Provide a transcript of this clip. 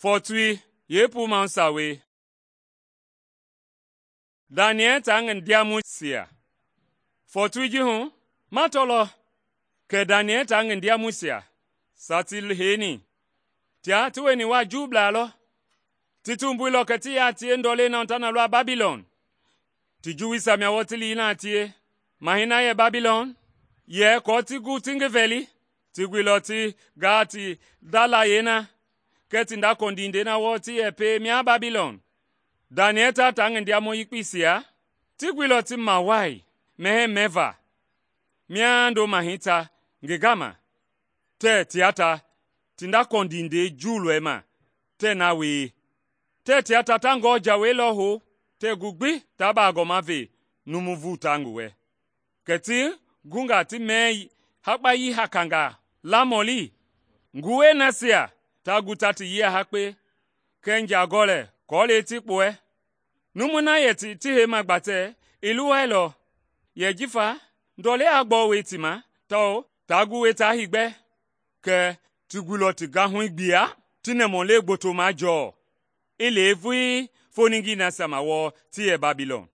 Fɔɔtui yeepuu sawei. Daniɛl taa ngi ndiamɔisia. Fɔɔtui ji hu, ma tɔlɔ kɛ Daniɛl taa ngi ndiamɔisia sa ti heini, tia ti wieni waa Juublaa lɔ. Ti tumbuilɔ kɛ ti yaa tie ndɔlei na ta na lɔ a Babilɔn. Ti Juuisia mia wɔɔ ti lii na a tie. Mahɛi na yɛ Babilɔn yɛ aako ti gu ti ngi vɛli. Ti guilɔ ti gaa ti ndalayei na, kɛɛ ti ndakɔndindei na wɔɔ ti yɛ pie mia Babilɔn. Daniɛl taa ngi ndiamɔ yekpeisia, ti guilɔ ti mawai mɛhɛɛ mɛva mia ndo mahɛi ta ngi gama, tɛɛ tia ta ti ndakɔndindei Juulɔi ma tɛɛ na wie. Tɛɛ tia ta ngɔɔ jawei lɔ hou tɛɛ gu gbi taa baagɔma ve numu vuta ngi wɛ. Kɛ ti gunga ti mɛɛ hakpayii hakangaa lamɔli. Nguwɛi nasia ta gu ta ti yia hakpe kɛɛ njagɔlɛ kɔɔlɛi ti kpuɛ. Numui na yɛ ti heima gbatɛ i luwailɔ, yɛ jifa ndɔlei a gbɔwoi ti ma tawao taa gu wɛi taa heegbɛ. Kɛ ti guilɔ ti gahui gbia ti nɛmɔlei gboto majɔɔ, i le vulii foningii nasia ma wɔɔ ti yɛ Babilɔn.